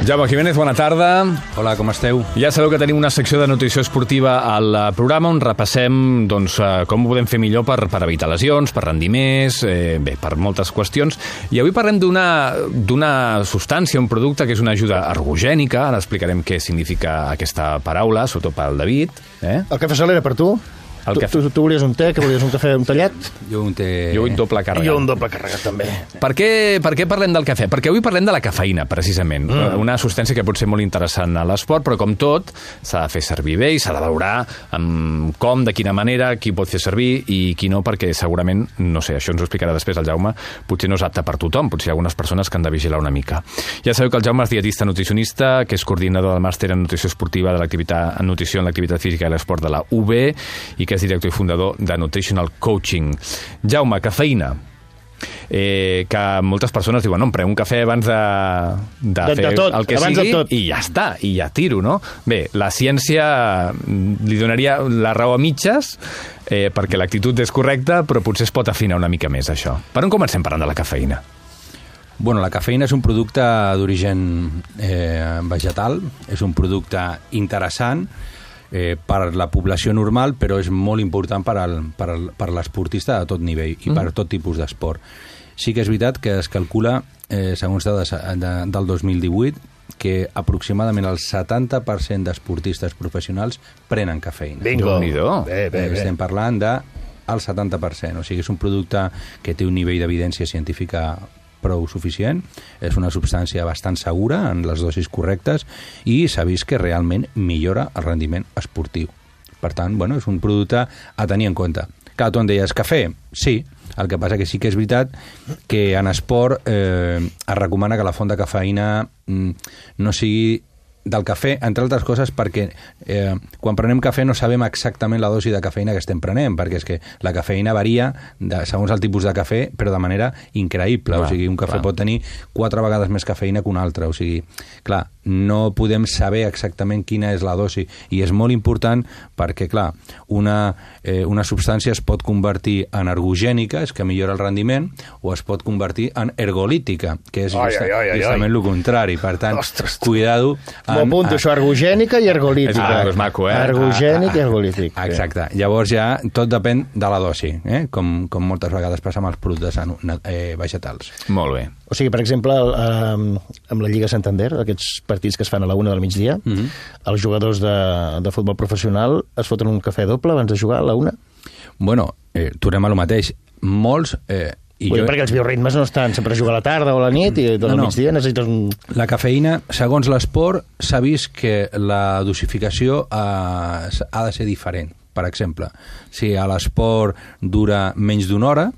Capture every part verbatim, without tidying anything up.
Jaume Jiménez, bona tarda. Hola, com esteu? Ja sabeu que tenim una secció de nutrició esportiva al programa on repassem doncs, com ho podem fer millor per, per evitar lesions, per rendir més, eh, bé, per moltes qüestions. I avui parlem d'una d'una substància, un producte que és una ajuda ergogènica. Ara explicarem què significa aquesta paraula, sobretot pel David. Eh? El cafè sol era per tu? El tu, cafè... tu, tu volies un té, que volies un cafè un tallat? Jo un té... Jo un doble carregat. Jo un doble carregat, també. Per què, per què parlem del cafè? Perquè avui parlem de la cafeïna, precisament. Mm. Una substància que pot ser molt interessant a l'esport, però com tot, s'ha de fer servir bé i s'ha de valorar amb com, de quina manera, qui pot fer servir i qui no, perquè segurament, no sé, això ens ho explicarà després el Jaume, potser no és apte per tothom, potser hi ha algunes persones que han de vigilar una mica. Ja sabeu que el Jaume és dietista nutricionista, que és coordinador del màster en nutrició esportiva de l'activitat en nutrició en l'activitat física i l'esport de la U B i que és director i fundador de Nutritional Coaching. Jaume, cafeïna. Eh, que moltes persones diuen, no, em prenc un cafè abans de, de, de fer de tot, el que abans sigui de tot. I ja està, i ja tiro, no? Bé, la ciència li donaria la raó a mitges eh, perquè l'actitud és correcta, però potser es pot afinar una mica més, això. Per on comencem parlant de la cafeïna? Bueno, la cafeïna és un producte d'origen eh, vegetal, és un producte interessant eh, per la població normal, però és molt important per, al, per, al, per l'esportista de tot nivell i mm. per tot tipus d'esport. Sí que és veritat que es calcula, eh, segons dades de, del dos mil divuit, que aproximadament el setanta per cent d'esportistes professionals prenen cafeïna. Bingo! Bé, bé, bé. Estem parlant del setanta per cent, o sigui, és un producte que té un nivell d'evidència científica prou suficient, és una substància bastant segura en les dosis correctes i s'ha vist que realment millora el rendiment esportiu. Per tant, bueno, és un producte a tenir en compte. Clar, tu em deies, cafè? Sí, el que passa que sí que és veritat que en esport eh, es recomana que la font de cafeïna mm, no sigui del cafè, entre altres coses perquè eh, quan prenem cafè no sabem exactament la dosi de cafeïna que estem prenent, perquè és que la cafeïna varia de, segons el tipus de cafè, però de manera increïble. Clar, o sigui, un cafè clar. pot tenir quatre vegades més cafeïna que un altre. O sigui, clar, no podem saber exactament quina és la dosi i és molt important perquè, clar, una, eh, una substància es pot convertir en ergogènica, és que millora el rendiment, o es pot convertir en ergolítica, que és ai, just, ai, ai, ai, justament el contrari. Per tant, ostres, cuidado. M'ho apunto, això, ergogènica i ergolítica. Ah, és maco, eh? Ergogènic i ergolític. Exacte. Llavors ja tot depèn de la dosi, eh? com, com moltes vegades passa amb els productes eh, vegetals. Molt bé. O sigui, per exemple, eh, amb la Lliga Santander, aquests partits que es fan a la una del migdia, mm-hmm. els jugadors de, de futbol professional es foten un cafè doble abans de jugar a la una? Bueno, eh, tornem a lo mateix. Molts... Eh, I Vull jo... perquè els bioritmes no estan sempre a jugar a la tarda o a la nit i tot no, el no. migdia necessites un... La cafeïna, segons l'esport, s'ha vist que la dosificació eh, ha de ser diferent. Per exemple, si a l'esport dura menys d'una hora,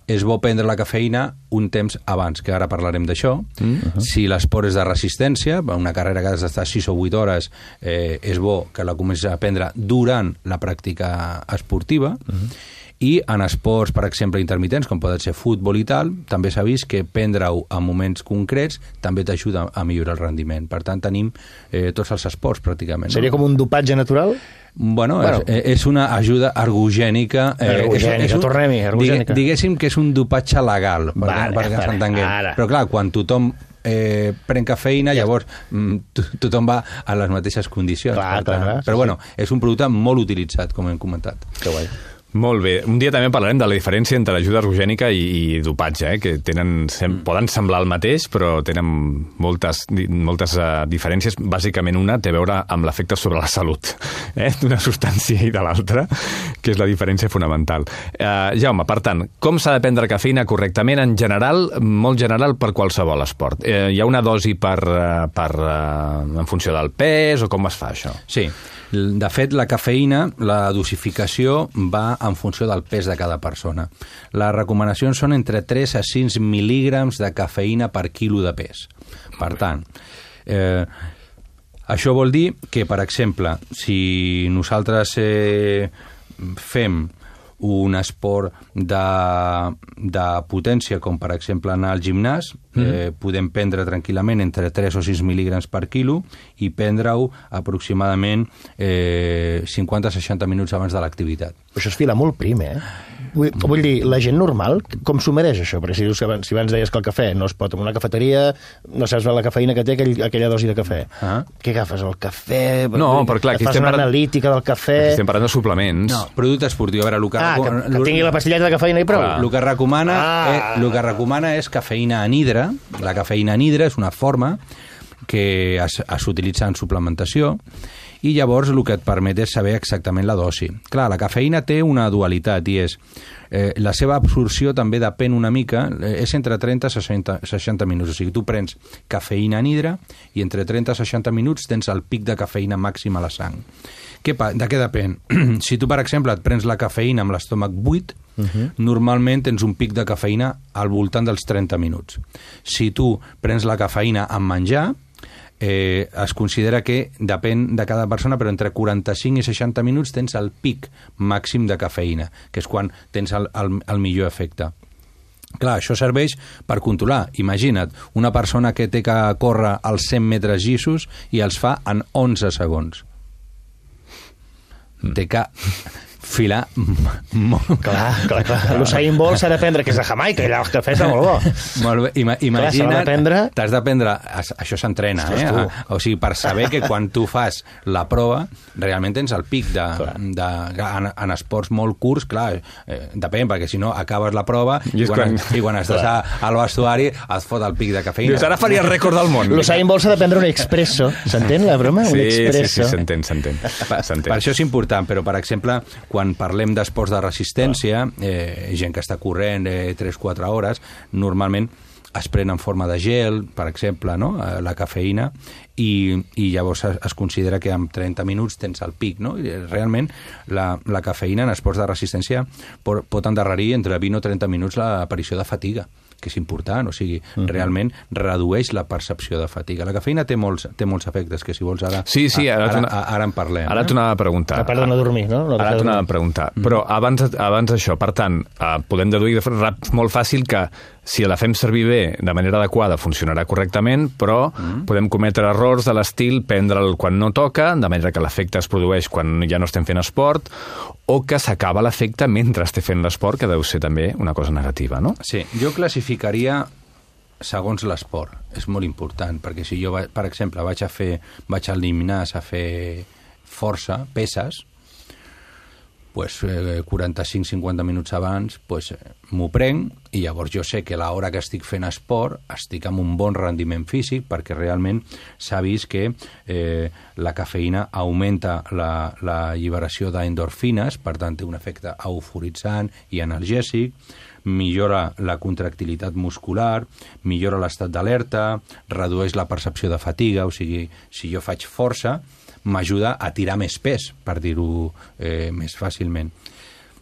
és bo prendre la cafeïna un temps abans, que ara parlarem d'això. Mm -hmm. Si l'esport és de resistència, una carrera que has d'estar sis o vuit hores, eh, és bo que la comencis a prendre durant la pràctica esportiva. Mm -hmm. I en esports, per exemple, intermitents, com poden ser futbol i tal, també s'ha vist que prendre-ho en moments concrets també t'ajuda a millorar el rendiment. Per tant, tenim eh, tots els esports, pràcticament. Seria no? com un dopatge natural? Bueno, bueno. És, és una ajuda ergogènica. Eh, ergogènica, és un, tornem-hi, ergogènica. Diguéssim que és un dopatge legal, vale, perquè vale, s'entenguem. Però clar, quan tothom eh, pren cafeïna, llavors tothom va a les mateixes condicions. Clar, clar, clar, però sí, bueno, sí. és un producte molt utilitzat, com hem comentat. Que guai. Molt bé. Un dia també parlarem de la diferència entre ajuda ergogènica i, i dopatge, eh? que tenen, sem, mm. poden semblar el mateix, però tenen moltes, moltes uh, diferències. Bàsicament una té a veure amb l'efecte sobre la salut eh? d'una substància i de l'altra, que és la diferència fonamental. Uh, Jaume, per tant, com s'ha de prendre cafeïna correctament en general, molt general per qualsevol esport? Uh, hi ha una dosi per, uh, per, uh, en funció del pes o com es fa això? Sí. De fet, la cafeïna, la dosificació va en funció del pes de cada persona. Les recomanacions són entre tres a sis mil·lígrams de cafeïna per quilo de pes. Per tant, eh, això vol dir que, per exemple, si nosaltres eh, fem un esport de, de potència, com per exemple anar al gimnàs, mm. eh, podem prendre tranquil·lament entre tres o sis mil·lígrams per quilo i prendre-ho aproximadament eh, cinquanta a seixanta minuts abans de l'activitat. Això es fila molt prim, eh? Vull, vull dir, la gent normal, com s'ho mereix això? Perquè si, dius que abans, si abans deies que el cafè no es pot en una cafeteria, no saps la cafeïna que té aquell, aquella dosi de cafè. Ah. Què agafes? El cafè? No, però clar, aquí fas una analítica del cafè... Aquí estem parlant de suplements. No, producte esportiu. A veure, el que, ah, que, que tingui la pastilleta de cafeïna i prou. Ah. El que recomana, ah. eh, el que recomana és cafeïna anhidra. La cafeïna anhidra és una forma que s'utilitza en suplementació i llavors el que et permet és saber exactament la dosi. Clar, la cafeïna té una dualitat i és eh, la seva absorció també depèn una mica, eh, és entre trenta i seixanta minuts, o sigui, tu prens cafeïna anhidra i entre trenta i seixanta minuts tens el pic de cafeïna màxim a la sang. Què, de què depèn? Si tu, per exemple, et prens la cafeïna amb l'estómac buit, uh-huh. normalment tens un pic de cafeïna al voltant dels trenta minuts. Si tu prens la cafeïna amb menjar, Eh, es considera que depèn de cada persona, però entre quaranta-cinc i seixanta minuts tens el pic màxim de cafeïna, que és quan tens el, el, el millor efecte. Clar, això serveix per controlar. Imagina't, una persona que té que córrer els cent metres llissos i els fa en onze segons. Mm. Té que filar molt... Clar, clar, clar. L'Usain Bolt s'ha de prendre, que és de Jamaica, i el cafè és molt bo. Molt bé. Ima, imagina't, prendre... t'has d'aprendre... Això s'entrena, eh? A, o sigui, per saber que quan tu fas la prova, realment tens el pic de... de en, en esports molt curts, clar, eh, depèn, perquè si no acabes la prova i, i, quan, quan... i quan estàs a, al vestuari et fot el pic de cafeïna. Dius, ara faria el rècord del món. L'Usain Bolt s'ha de prendre un expresso. S'entén la broma? Sí, un expresso. sí, sí, s'entén, s'entén. Per, per això és important, però, per exemple, quan parlem d'esports de resistència, eh, gent que està corrent eh, tres a quatre hores, normalment es pren en forma de gel, per exemple, no? La cafeïna, i, i llavors es, es considera que en trenta minuts tens el pic, no? I realment la, la cafeïna en esports de resistència pot, pot endarrerir entre vint o trenta minuts l'aparició de fatiga, que és important, o sigui, uh-huh. realment redueix la percepció de fatiga. La cafeïna té molts, té molts efectes, que si vols ara, sí, sí, ara, ara, una... ara, ara en parlem. Ara eh? t'ho anava a preguntar. A part de no dormir, no? no ara t'ho anava a preguntar. Uh-huh. Però abans, abans d'això, per tant, eh, podem deduir de molt fàcil que si la fem servir bé, de manera adequada, funcionarà correctament, però uh-huh. podem cometre errors de l'estil prendre'l quan no toca, de manera que l'efecte es produeix quan ja no estem fent esport, o que s'acaba l'efecte mentre estem fent l'esport, que deu ser també una cosa negativa, no? Sí, jo classificaria segons l'esport. És molt important, perquè si jo, per exemple, vaig a fer, vaig al gimnàs a fer força, peses, pues, eh, quaranta-cinc a cinquanta minuts abans pues, eh, m'ho prenc i llavors jo sé que a l'hora que estic fent esport estic amb un bon rendiment físic perquè realment s'ha vist que eh, la cafeïna augmenta la, la alliberació d'endorfines, per tant té un efecte euforitzant i analgèsic, millora la contractilitat muscular, millora l'estat d'alerta, redueix la percepció de fatiga, o sigui, si jo faig força, m'ajuda a tirar més pes, per dir-ho eh, més fàcilment.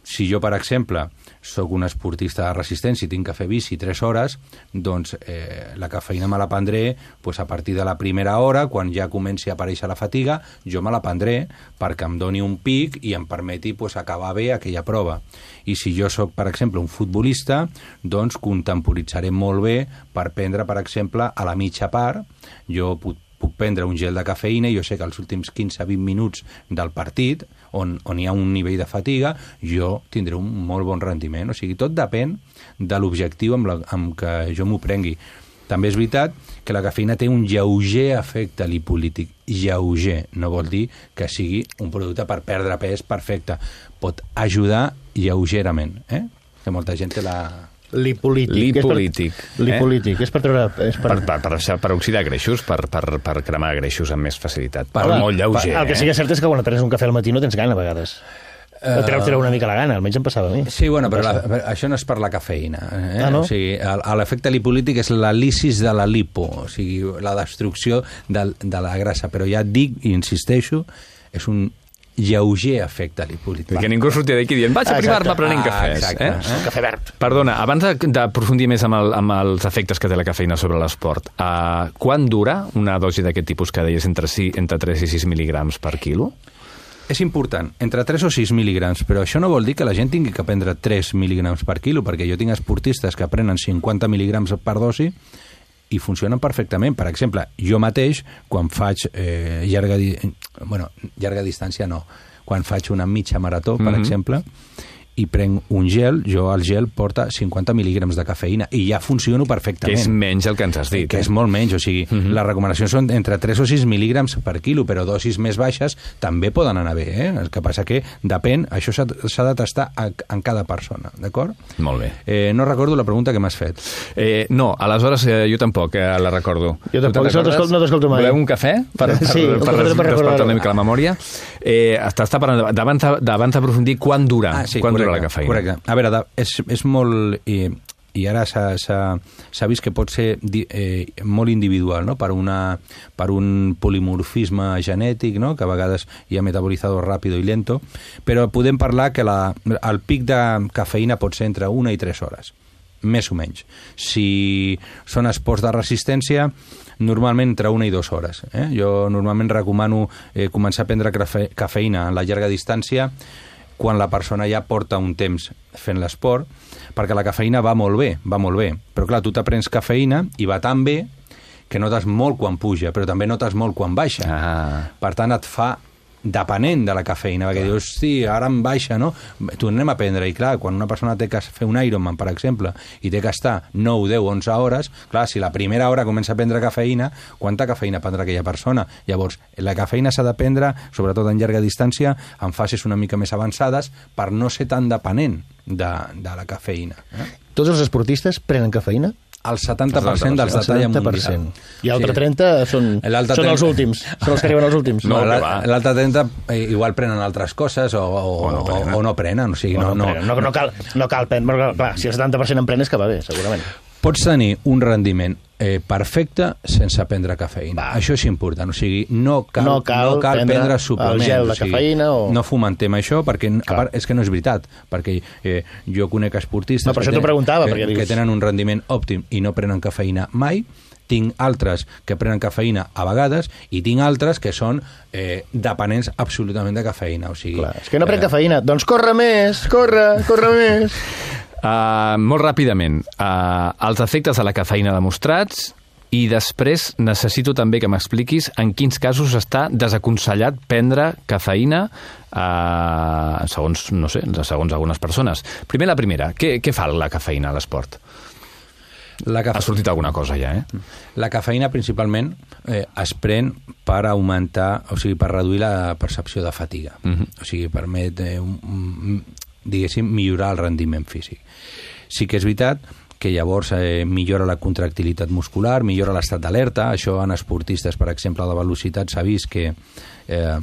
Si jo, per exemple, sóc un esportista de resistència i tinc que fer bici tres hores, doncs eh, la cafeïna me la prendré pues, a partir de la primera hora, quan ja comenci a aparèixer la fatiga, jo me la prendré perquè em doni un pic i em permeti pues, acabar bé aquella prova. I si jo sóc, per exemple, un futbolista, doncs contemporitzaré molt bé per prendre, per exemple, a la mitja part, jo puc puc prendre un gel de cafeïna i jo sé que els últims quinze a vint minuts del partit, on, on hi ha un nivell de fatiga, jo tindré un molt bon rendiment. O sigui, tot depèn de l'objectiu amb, la, amb què jo m'ho prengui. També és veritat que la cafeïna té un lleuger efecte lipolític. Lleuger no vol dir que sigui un producte per perdre pes perfecte. Pot ajudar lleugerament, eh? Que molta gent té la... Lipolític. Lipolític. És per, lipolític. Eh? És per treure... És per... Per, per, per, per oxidar greixos, per, per, per cremar greixos amb més facilitat. Per, Però molt lleuger. Per, el que sí que és cert és que quan et prens un cafè al matí no tens gana, a vegades. Uh... Treu-te una mica la gana, almenys em passava a mi. Sí, bueno, però la, això no és per la cafeïna. Eh? Ah, no? O sigui, l'efecte lipolític és la lisis de la lipo, o sigui, la destrucció de, de la grassa. Però ja et dic, i insisteixo, és un lleuger efecte lipolític. Que ningú sortia d'aquí dient vaig a privar-me prenent cafès. Exacte. Eh? Un cafè verd. Perdona, abans d'aprofundir més amb, el, amb els efectes que té la cafeïna sobre l'esport, uh, quan dura una dosi d'aquest tipus que deies entre, si, entre tres i sis mil·ligrams per quilo? És important, entre tres o sis mil·ligrams, però això no vol dir que la gent tingui que prendre tres mil·ligrams per quilo, perquè jo tinc esportistes que prenen cinquanta mil·ligrams per dosi i funcionen perfectament. Per exemple, jo mateix, quan faig eh, llarga, di... bueno, llarga distància no, quan faig una mitja marató, per mm-hmm. exemple, i prenc un gel, jo el gel porta cinquanta mil·lígrams de cafeïna i ja funciono perfectament. Que és menys el que ens has dit. Que eh? és molt menys, o sigui, uh-huh. les recomanacions són entre tres o sis mil·lígrams per quilo, però dosis més baixes també poden anar bé, eh? El que passa que depèn, això s'ha, s'ha de tastar a, en cada persona, d'acord? Molt bé. Eh, no recordo la pregunta que m'has fet. Eh, no, aleshores eh, jo tampoc eh, la recordo. Jo tampoc, no t'escolto, no t'escolto mai. Voleu un cafè? Per, per, sí, per, per, per, per despertar una mica la memòria. Eh, T'està parlant d'abans d'aprofundir quant dura, ah, sí, quant correcte, dura la cafeïna. Correcte. A veure, és, és molt... I, i ara s'ha vist que pot ser eh, molt individual, no? per, una, per un polimorfisme genètic, no? que a vegades hi ha metabolizador ràpido i lento, però podem parlar que la, el pic de cafeïna pot ser entre una i tres hores, més o menys. Si són esports de resistència, normalment entre una i dues hores. Eh? Jo normalment recomano eh, començar a prendre cafe, cafeïna en la llarga distància quan la persona ja porta un temps fent l'esport, perquè la cafeïna va molt bé, va molt bé. Però clar, tu t'aprens cafeïna i va tan bé que notes molt quan puja, però també notes molt quan baixa. Ah. Per tant, et fa depenent de la cafeïna, perquè clar. Dius, sí, ara em baixa, no? Tornem a prendre, i clar, quan una persona té que fer un Ironman, per exemple, i té que estar nou, deu, onze hores, clar, si la primera hora comença a prendre cafeïna, quanta cafeïna prendrà aquella persona? Llavors, la cafeïna s'ha de prendre, sobretot en llarga distància, en fases una mica més avançades, per no ser tan depenent de, de la cafeïna. Eh? Tots els esportistes prenen cafeïna? El setanta per cent dels de talla mundial. I l'altre trenta són, són els últims, són els que arriben als últims. No, l'altre trenta eh, igual prenen altres coses o, o, o, no, prenen. o, o no prenen. O sigui, o no, no, no, no, no, cal, no cal prendre, clar, si el setanta per cent en pren és que va bé, segurament. Pots tenir un rendiment eh, perfecte sense prendre cafeïna. Va. Això és important. O sigui, no cal, no cal, no cal prendre, prendre suplements. El gel de o sigui, cafeïna o... No fomentem això, perquè a part, és que no és veritat. Perquè eh, jo conec esportistes no, que, ten, que, que, dius... que tenen un rendiment òptim i no prenen cafeïna mai. Tinc altres que prenen cafeïna a vegades i tinc altres que són eh, dependents absolutament de cafeïna. O sigui, clar, és que no pren eh... cafeïna. Doncs corre més, corre, corre més... Uh, molt ràpidament, uh, els efectes de la cafeïna demostrats i després necessito també que m'expliquis en quins casos està desaconsellat prendre cafeïna uh, segons, no sé, segons algunes persones. Primer la primera, què, què fa la cafeïna a l'esport? La cafe... Ha sortit alguna cosa ja, eh? La cafeïna principalment eh, es pren per augmentar, o sigui, per reduir la percepció de fatiga. Uh-huh. O sigui, permet eh, un, un, diguéssim, millorar el rendiment físic. Sí que és veritat que llavors eh, millora la contractilitat muscular, millora l'estat d'alerta. Això en esportistes, per exemple, de velocitat s'ha vist que eh,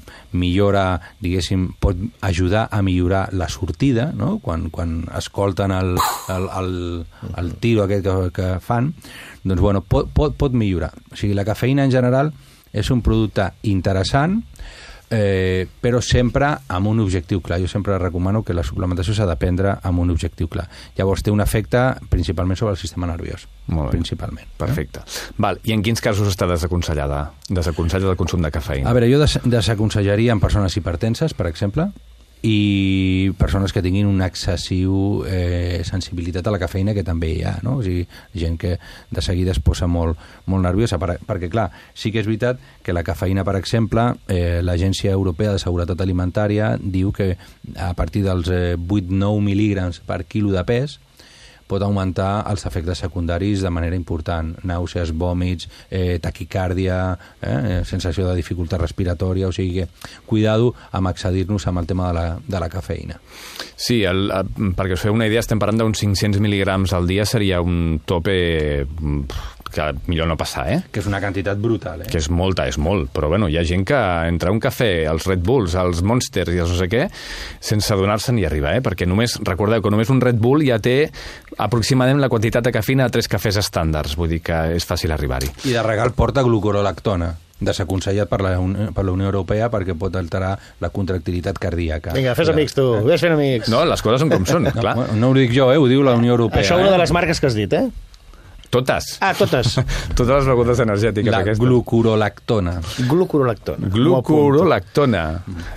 millora, diguéssim, pot ajudar a millorar la sortida, no? Quan, quan escolten el, el, el, el tiro aquest que, que fan, doncs, bueno, pot, pot, pot millorar. O sigui, la cafeïna en general és un producte interessant, Eh, però sempre amb un objectiu clar. Jo sempre recomano que la suplementació s'ha de prendre amb un objectiu clar. Llavors té un efecte principalment sobre el sistema nerviós. Molt bé. Principalment. Perfecte. Eh? Val. I en quins casos està desaconsellada? Desaconsellada el consum de cafeïna? A veure, jo des desaconsellaria en persones hipertenses, per exemple, i persones que tinguin una excessiu eh, sensibilitat a la cafeïna, que també hi ha, no? O sigui, gent que de seguida es posa molt, molt nerviosa, per, perquè, clar, sí que és veritat que la cafeïna, per exemple, eh, l'Agència Europea de Seguretat Alimentària diu que a partir dels eh, vuit a nou mil·lígrams per quilo de pes pot augmentar els efectes secundaris de manera important. Nàusees, vòmits, eh, taquicàrdia, eh, sensació de dificultat respiratòria, o sigui que cuidado amb excedir-nos amb el tema de la, de la cafeïna. Sí, el, perquè us feu una idea, estem parlant d'uns cinc-cents mil·lígrams al dia, seria un tope que millor no passar, eh? Que és una quantitat brutal, eh? Que és molta, és molt, però bueno, hi ha gent que entre un cafè, els Red Bulls, els Monsters i els no sé què, sense adonar-se'n hi arriba, eh? Perquè només, recordeu que només un Red Bull ja té aproximadament la quantitat de cafeïna de tres cafès estàndards, vull dir que és fàcil arribar-hi. I de regal porta glucorolactona, desaconsellat per la, per la Unió Europea perquè pot alterar la contractilitat cardíaca. Vinga, fes amics tu, eh? Ves fent amics. No, les coses són com són, no, clar. No ho dic jo, eh? Ho diu la Unió Europea. Això és una eh? de les marques que has dit, eh? Totes. Ah, totes. Totes les begudes energètiques. La aquestes. Glucorolactona. Glucorolactona. Glucorolactona.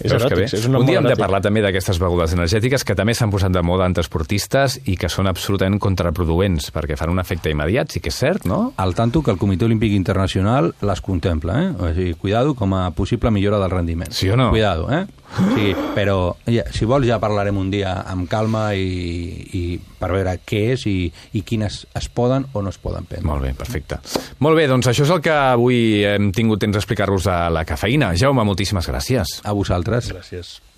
És eròtic, és un nom un dia hem de eròtic. parlar també d'aquestes begudes energètiques que també s'han posat de moda entre esportistes i que són absolutament contraproduents perquè fan un efecte immediat, sí que és cert, no? Al tanto que el Comitè Olímpic Internacional les contempla, eh? O sigui, cuidado com a possible millora del rendiment. Sí o no? Cuidado, eh? O sigui, però ja, si vols ja parlarem un dia amb calma i, i per veure què és i, i quines es poden o no es poden prendre. Molt bé, perfecte. Molt bé, doncs això és el que avui hem tingut temps d'explicar-vos de la cafeïna. Jaume, moltíssimes gràcies. A vosaltres. Gràcies.